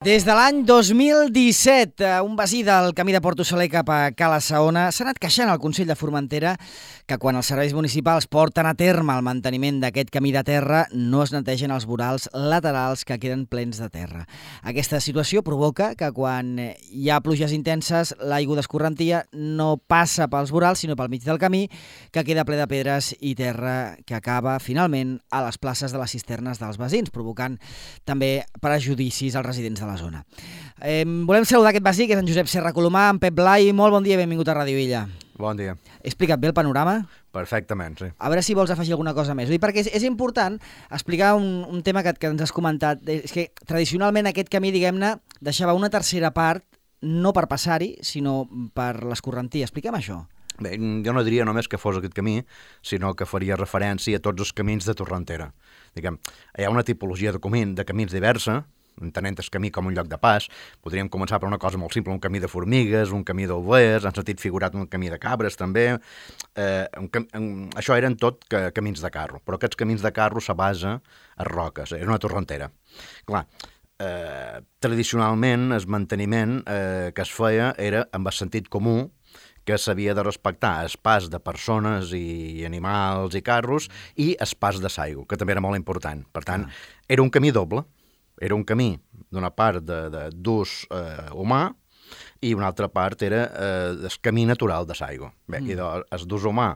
Des de l'any 2017, un veí del camí de Porto Saler cap a Cala Saona s'ha anat queixant al Consell de Formentera que quan els serveis municipals porten a terme el manteniment d'aquest camí de terra no es netegen els vorals laterals que queden plens de terra. Aquesta situació provoca que quan hi ha pluges intenses l'aigua d'escorrentia no passa pels vorals sinó pel mig del camí, que queda ple de pedres i terra que acaba finalment a les places de les cisternes dels veïns, provocant també perjudicis als residents de la zona. Volem saludar aquest veí, que és en Josep Serra Colomà, en Pep Blai. Molt bon dia i benvingut a Ràdio Illa. Bon dia. He explicat bé el panorama? Perfectament, sí. A veure si vols afegir alguna cosa més. Perquè és important explicar un tema que ens has comentat. És que tradicionalment aquest camí, diguem-ne, deixava una tercera part no per passar-hi, sinó per l'escorrentia. Expliquem això. Bé, jo no diria només que fos aquest camí, sinó que faria referència a tots els camins de Torrentera. Diguem, hi ha una tipologia de camins diversa, entenent el camí com un lloc de pas. Podríem començar per una cosa molt simple, un camí de formigues, un camí d'overs, en sentit figurat un camí de cabres també. Això eren tot camins de carro, però aquests camins de carro se basa a roques, és una torrentera. Clar, tradicionalment el manteniment que es feia era amb el sentit comú, que s'havia de respectar el pas de persones i animals i carros i el pas de l'aigua, que també era molt important. Per tant, era un camí doble. Era un camí, d'una part d'ús humà i una altra part era el camí natural de l'aigua. Bé, i el d'ús humà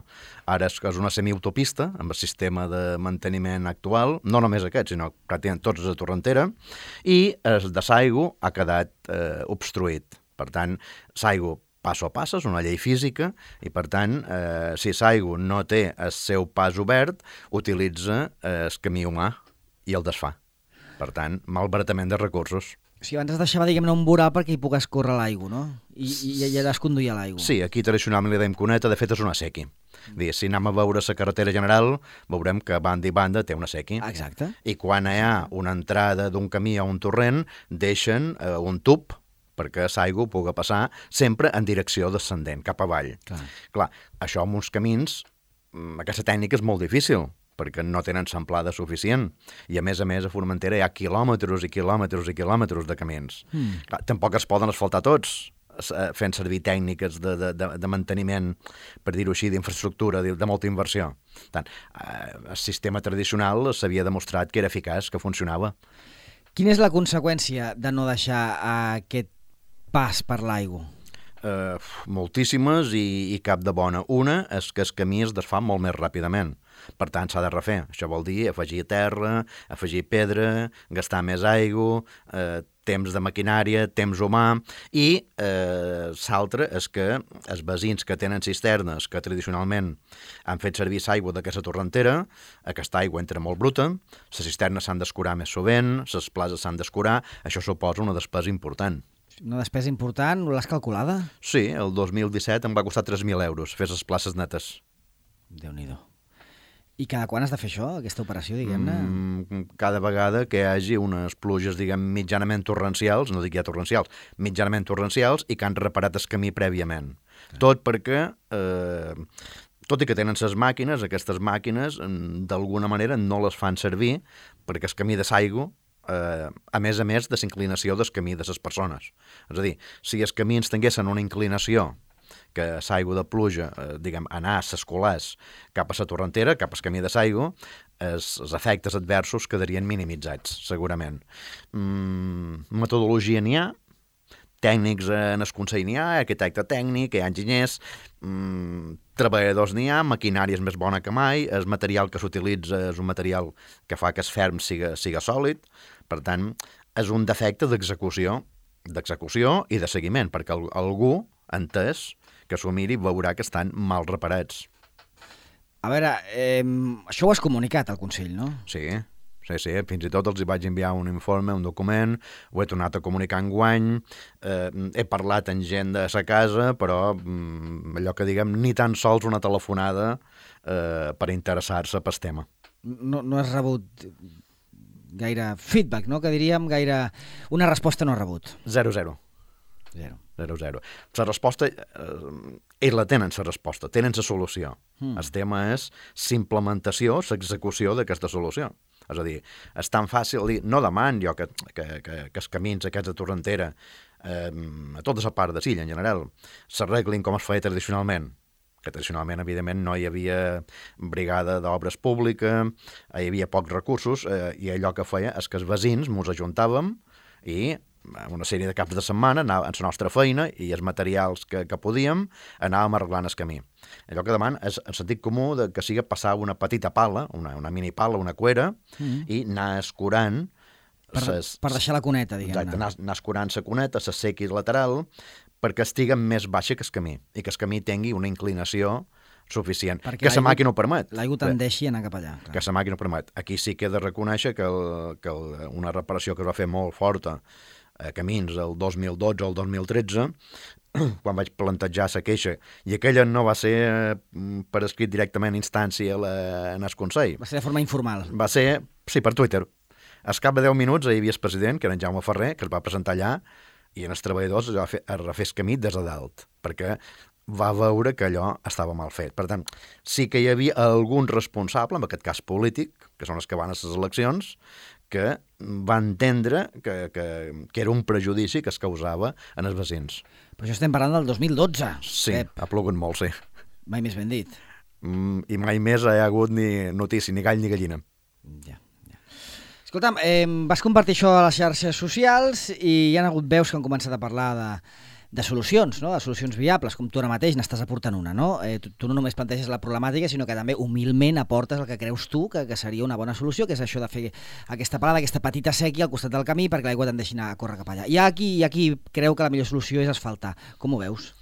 ara és una semiautopista amb el sistema de manteniment actual, no només aquest, sinó pràcticament tots els de Torrentera, i el de l'aigua ha quedat obstruït. Per tant, l'aigua passo a passo, és una llei física, i per tant, si l'aigua no té el seu pas obert, utilitza el camí humà i el desfà. Per tant, malbaratament de recursos. O sigui, abans es deixava, diguem-ne, un voral perquè hi pogués córrer l'aigua, no? I allà es conduïa l'aigua. Sí, aquí tradicionalment li dèiem cuneta, de fet és una sequi. Si anem a veure la carretera general, veurem que banda i banda té una sequi. Exacte. I quan hi ha una entrada d'un camí a un torrent, deixen un tub perquè l'aigua pugui passar sempre en direcció descendent, cap avall. Clar, això amb uns camins, aquesta tècnica és molt difícil, perquè no tenen samplada suficient. I a més, a Formentera hi ha quilòmetres i quilòmetres i quilòmetres de camins. Clar, tampoc es poden asfaltar tots, fent servir tècniques de manteniment, per dir-ho així, d'infraestructura, de molta inversió. Tant, el sistema tradicional s'havia demostrat que era eficaç, que funcionava. Quina és la conseqüència de no deixar aquest pas per l'aigua? Moltíssimes i cap de bona. Una és que el camí es desfà molt més ràpidament. Per tant, s'ha de refer. Això vol dir afegir terra, afegir pedra, gastar més aigua, temps de maquinària, temps humà, i l'altre és que els veïns que tenen cisternes que tradicionalment han fet servir l'aigua d'aquesta torrentera, aquesta aigua entra molt bruta, les cisternes s'han d'escurar més sovint, les places s'han d'escurar, això suposa una despesa important. Una despesa important, l'has calculada? Sí, el 2017 em va costar 3.000 euros fer les places netes. Déu-n'hi-do. I cada quan has de fer això, aquesta operació, diguem-ne? Cada vegada que hi hagi unes pluges, diguem, mitjanament torrencials, no dic ja torrencials, mitjanament torrencials, i que han reparat el camí prèviament. Tot perquè, tot i que tenen les màquines, aquestes màquines, d'alguna manera, no les fan servir perquè el camí de l'aigua, a més de la inclinació del camí de les persones. És a dir, si els camins tinguessin una inclinació que l'aigua de pluja, diguem, anar a s'escolàs cap a la torrentera, cap al camí de l'aigua, els efectes adversos quedarien minimitzats, segurament. Metodologia n'hi ha, tècnics en el Consell n'hi ha, arquitecte tècnic, hi ha enginyers, treballadors n'hi ha, maquinària és més bona que mai, el material que s'utilitza és un material que fa que el ferm siga sòlid, per tant, és un defecte d'execució i de seguiment, perquè algú, entès, que s'ho miri, veurà que estan mal reparats. A veure, això ho has comunicat al Consell, no? Sí, fins i tot els hi vaig enviar un informe, un document, ho he tornat a comunicar enguany, he parlat amb gent de sa casa, però allò que diguem, ni tan sols una telefonada per interessar-se pel tema. No has rebut gaire feedback, no? Que diríem gaire... Una resposta no has rebut. 0-0. 0-0. La resposta, ells la tenen, la resposta, tenen la solució. El tema és l'implementació, l'execució d'aquesta solució. És a dir, és tan fàcil dir, no deman jo que els camins aquests de Torrentera, a tota la part de Silla en general, s'arreglin com es feia tradicionalment, que tradicionalment, evidentment, no hi havia brigada d'obres pública, hi havia pocs recursos, i allò que feia és que els veïns ens ajuntàvem i una sèrie de caps de setmana anàvem en la nostra feina i els materials que podíem anàvem arreglant el camí. Allò que deman és el sentit comú de que sigui passar una petita pala, una mini pala, una cuera, i anar escurant per deixar la cuneta, diguem-ne. Exacte, anar escurant la cuneta, la sequis lateral, perquè estigui més baixa que el camí i que el camí tingui una inclinació suficient, perquè que la màquina ho permet. L'aigua tendeixi a anar cap allà. Clar. Que la màquina ho permet. Aquí sí que he de reconèixer que una reparació que es va fer molt forta a camins el 2012 o el 2013, quan vaig plantejar la queixa, i aquella no va ser per escrit directament a instància en el Consell. Va ser de forma informal. Va ser, sí, per Twitter. Al cap de 10 minuts hi havia el president, que era en Jaume Ferrer, que es va presentar allà, i en els treballadors es va refer el camí des de dalt, perquè va veure que allò estava mal fet. Per tant, sí que hi havia algun responsable, en aquest cas polític, que són els que van a les eleccions, que va entendre que era un prejudici que es causava en els veïns. Però això estem parlant del 2012. Sí, ha plogut molt, sí. Mai més ben dit. I mai més hi ha hagut ni notícia, ni gall ni gallina. Ja. Escolta'm, vas compartir això a les xarxes socials i hi ha hagut veus que han començat a parlar de solucions, no? De solucions viables, com tu ara mateix n'estàs aportant una, no? Tu no només planteges la problemàtica, sinó que també humilment aportes el que creus tu que seria una bona solució, que és això de fer aquesta parada, aquesta petita sèquia al costat del camí perquè l'aigua tendeixi a córrer cap allà. Hi ha qui creu que la millor solució és asfaltar. Com ho veus?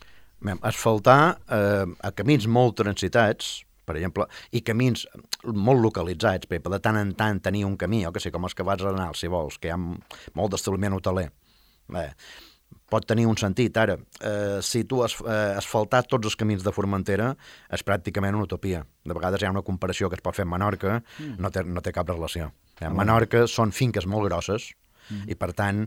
Asfaltar a camins molt transitats, per exemple, i camins molt localitzats, per de tant en tant tenir un camí, o que sé, com els que vas a anar, si vols, que hi ha molt d'establiment hoteler. Pot tenir un sentit. Ara, si tu asfaltar tots els camins de Formentera és pràcticament una utopia. De vegades hi ha una comparació que es pot fer amb Menorca, no té cap relació. A Menorca són finques molt grosses i, per tant,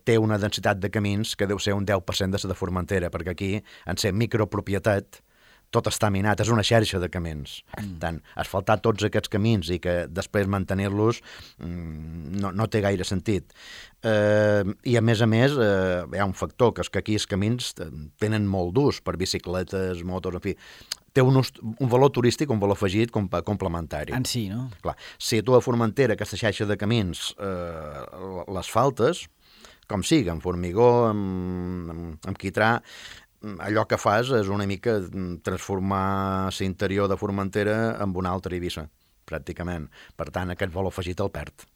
té una densitat de camins que deu ser un 10% de la de Formentera, perquè aquí, en ser micropropietat, tot està minat, és una xarxa de camins. Tant, asfaltar tots aquests camins i que després mantenir-los no té gaire sentit. I a més, hi ha un factor, que és que aquí els camins tenen molt d'ús per bicicletes, motos, en fi. Té un valor turístic, un valor afegit complementari. En si, no? Clar, si tu a Formentera, aquesta xarxa de camins, les faltes, com sigui, amb formigó, amb quitrà, allò que fas és una mica transformar l'interior de Formentera en una altra Eivissa, pràcticament. Per tant, aquest valor afegit el perd.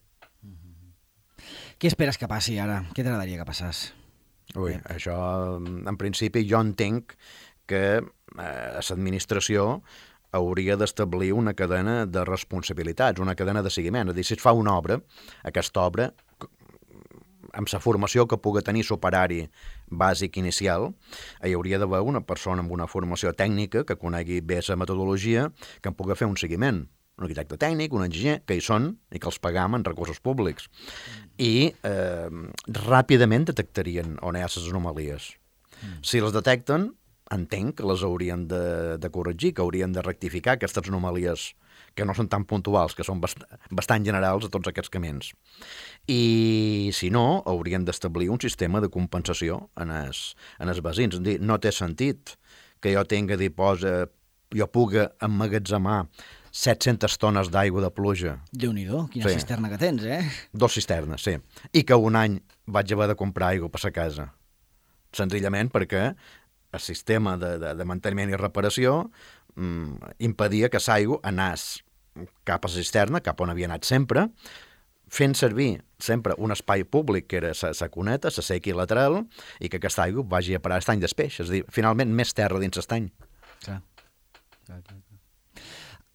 Què esperes que passi ara? Què t'agradaria que passés? Ui, això, en principi, jo entenc que l'administració hauria d'establir una cadena de responsabilitats, una cadena de seguiment. És a dir, si es fa una obra, aquesta obra, amb la formació que pugui tenir l'operari bàsic inicial, hi hauria d'haver una persona amb una formació tècnica que conegui bé la metodologia, que en pugui fer un seguiment. Un arquitecte tècnic, un enginyer, que hi són i que els pagam en recursos públics. I ràpidament detectarien on hi ha les anomalies. Si les detecten, entenc que les haurien de corregir, que haurien de rectificar aquestes anomalies que no són tan puntuals, que són bastant generals a tots aquests camins. I, si no, haurien d'establir un sistema de compensació en els veïns. És dir, no té sentit que jo tinga jo pugui emmagatzemar 700 tones d'aigua de pluja. Déu-n'hi-do, quina cisterna que tens, 2 cisternes, sí. I que un any vaig haver de comprar aigua per la casa. Senzillament perquè el sistema de manteniment i reparació impedia que l'aigua anés cap a la cisterna, cap on havia anat sempre, fent servir sempre un espai públic que era la cuneta, la sèquia lateral, i que aquesta aigua vagi a parar a l'estany d'Espeix. És a dir, finalment, més terra dins l'estany. Clar.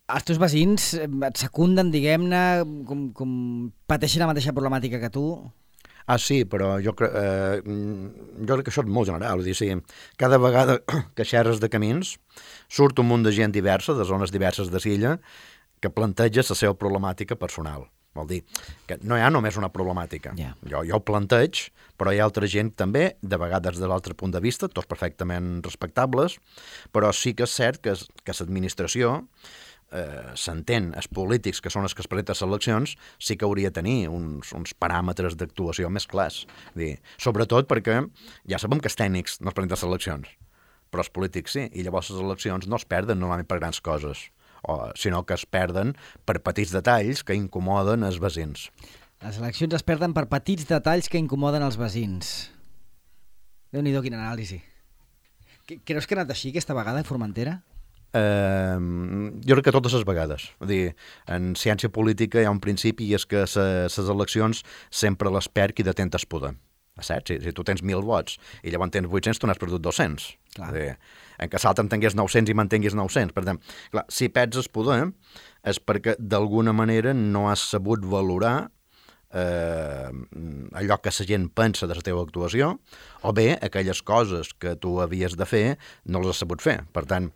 Els teus veïns et secunden, diguem-ne, com pateixen la mateixa problemàtica que tu? Ah, sí, però jo crec que això és molt general. És dir, cada vegada que xerres de camins surt un munt de gent diversa, de zones diverses de Silla, que planteja la seva problemàtica personal. Vol dir que no hi ha només una problemàtica. Yeah. Jo ho planteig, però hi ha altra gent també, de vegades de l'altre punt de vista, tots perfectament respectables, però sí que és cert que l'administració, s'entén, els polítics, que són els que es presenten a les eleccions, sí que hauria de tenir uns paràmetres d'actuació més clars. Sobretot perquè ja sabem que els tècnics no es presenten a les eleccions, però els polítics sí, i llavors les eleccions no es perden normalment per grans coses, sinó que es perden per petits detalls que incomoden els veïns. Les eleccions es perden per petits detalls que incomoden els veïns. Déu-n'hi-do, quina anàlisi. Creus que ha anat així aquesta vegada a Formentera? Jo crec que totes les vegades. En ciència política hi ha un principi i és que les eleccions sempre les perd qui detenta el poder. Saps? Si tu tens 1.000 vots i llavors tens 800, tu n'has perdut 200. En què l'altre en tingués 900 i mantinguis 900. Per tant, clar, si perds el poder és perquè d'alguna manera no has sabut valorar allò que la gent pensa de la teva actuació, o bé aquelles coses que tu havies de fer no les has sabut fer. Per tant,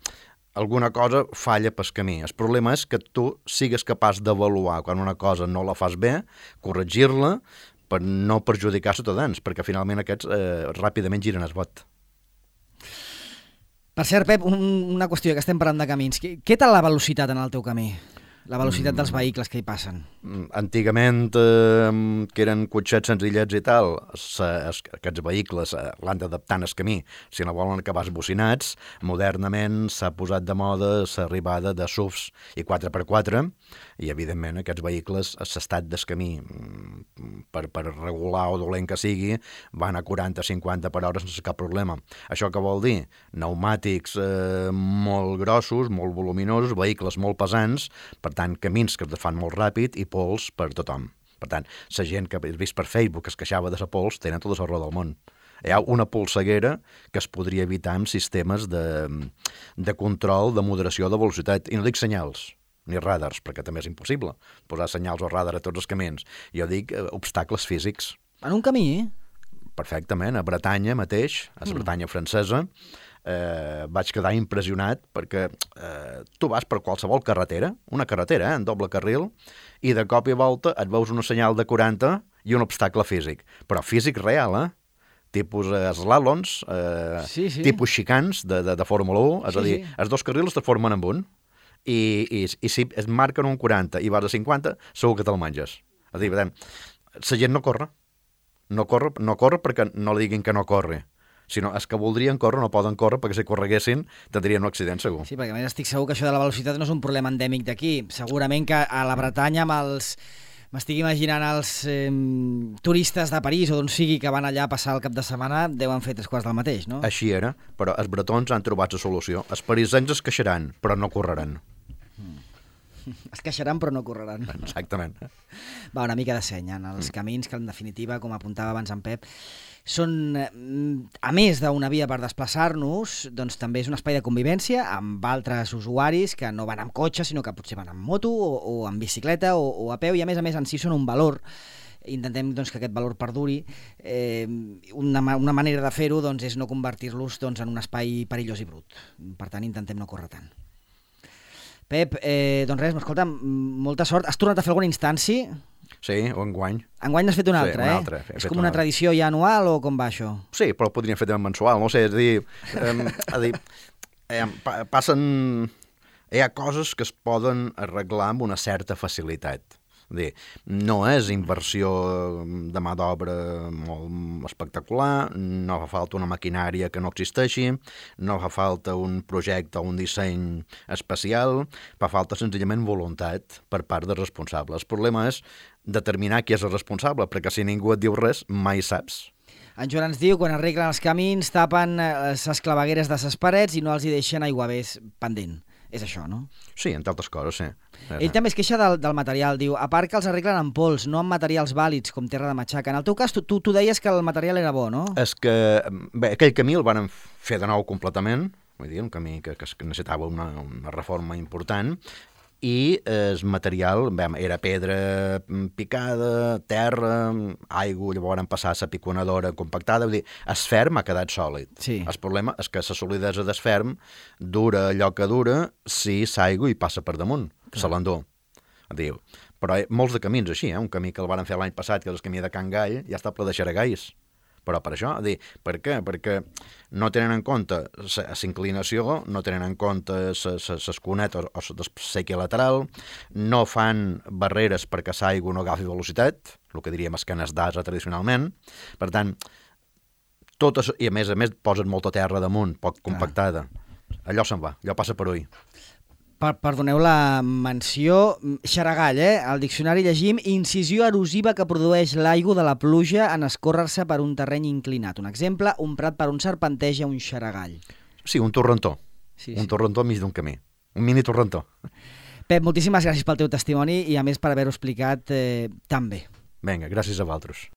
alguna cosa falla pel camí. El problema és que tu sigues capaç d'avaluar quan una cosa no la fas bé, corregir-la per no perjudicar ciutadans, perquè finalment aquests ràpidament giren el vot. Per cert, Pep, una qüestió, que estem parlant de camins. Què tal la velocitat en el teu camí? La velocitat dels vehicles que hi passen. Antigament, que eren cotxets senzillets i tal, aquests vehicles l'han d'adaptar al camí. Si no volen acabar esbocinats, modernament s'ha posat de moda l'arribada de SUVs i 4x4, i evidentment aquests vehicles a l'estat del camí, per regular o dolent que sigui, van a 40-50 per hora sense cap problema. Això què vol dir? Pneumàtics molt grossos, molt voluminosos, vehicles molt pesants, per tant, camins que es fan molt ràpid i pols per tothom. Per tant, la gent que he vist per Facebook que es queixava de la pols tenen tota la raó del món. Hi ha una polseguera que es podria evitar amb sistemes de control, de moderació de velocitat. I no dic senyals, ni radars, perquè també és impossible posar senyals o radar a tots els camins. Jo dic obstacles físics. En un camí? Perfectament. A Bretanya mateix, a la Bretanya francesa, vaig quedar impressionat perquè tu vas per qualsevol carretera, una carretera en doble carril, i de cop i volta et veus una senyal de 40 i un obstacle físic, però físic real, tipus slàloms, tipus xicans de Fórmula 1, és a dir, els dos carrils es formen en un, i si es marquen un 40 i vas a 50, segur que te'l menges. És a dir, la gent no corre perquè no li diguin que no corre, sinó els que voldrien córrer no poden córrer perquè si correguessin tindrien un accident segur. Sí, perquè a més estic segur que això de la velocitat no és un problema endèmic d'aquí. Segurament que a la Bretanya m'estic imaginant els turistes de París o d'on sigui que van allà a passar el cap de setmana deuen fer 3/4 del mateix, no? Així era, però els bretons han trobat la solució. Els parisencs es queixaran, però no correran. Es queixaran però no correran. Exactament. Va, una mica de seny en els camins que en definitiva, com apuntava abans en Pep, són, a més d'una via per desplaçar-nos, doncs també és un espai de convivència amb altres usuaris que no van amb cotxe, sinó que potser van amb moto o amb bicicleta o a peu, i a més en si són un valor. Intentem doncs, que aquest valor perduri. Una manera de fer-ho doncs, és no convertir-los doncs, en un espai perillós i brut. Per tant, intentem no córrer tant. Pep, doncs res, escolta, molta sort. Has tornat a fer alguna instància? Sí, o enguany. Enguany n'has fet una altra, una altra. És com una tradició ja anual o com va això? Sí, però ho podríem fer també mensual, no sé, és a dir, passen... Hi ha coses que es poden arreglar amb una certa facilitat. No és inversió de mà d'obra molt espectacular, no fa falta una maquinària que no existeixi, no fa falta un projecte o un disseny especial, fa falta senzillament voluntat per part dels responsables. El problema és determinar qui és el responsable, perquè si ningú et diu res, mai saps. En Joan ens diu, quan arreglen els camins, tapen les clavegueres de les parets i no els hi deixen aiguavés pendent. És això, no? Sí, entre altres coses, sí. Ell també es queixa del material, diu, a part que els arreglen amb pols, no amb materials vàlids, com terra de matxaca. En el teu cas, tu deies que el material era bo, no? És que, bé, aquell camí el van fer de nou completament, vull dir, un camí que necessitava una reforma important, i el material era pedra picada, terra, aigua, llavors van passar a la piconadora compactada, vull dir, el ferm ha quedat sòlid. Sí. El problema és que la solidesa del ferm dura allò que dura si l'aigua hi passa per damunt, se l'endú. Però molts de camins així, un camí que el van fer l'any passat, que és el camí de Can Gall, ja està ple de xaragais, Però per això, per què? Perquè no tenen en compte la inclinació, no tenen en compte les cunetes o la sèquia lateral, no fan barreres perquè l'aigua no agafi velocitat, el que diríem escanes d'asa tradicionalment. Per tant, totes, i a més posen molta terra damunt, poc compactada. Allò se'n va, allò passa per ull. Perdoneu la menció, xaragall, Al diccionari llegim incisió erosiva que produeix l'aigua de la pluja en escórrer-se per un terreny inclinat. Un exemple, un prat per on serpenteja un xaragall. Sí, un torrentó. Sí. Torrentó enmig d'un camí. Un mini torrentó. Pep, moltíssimes gràcies pel teu testimoni i a més per haver-ho explicat tan bé. Vinga, gràcies a vosaltres.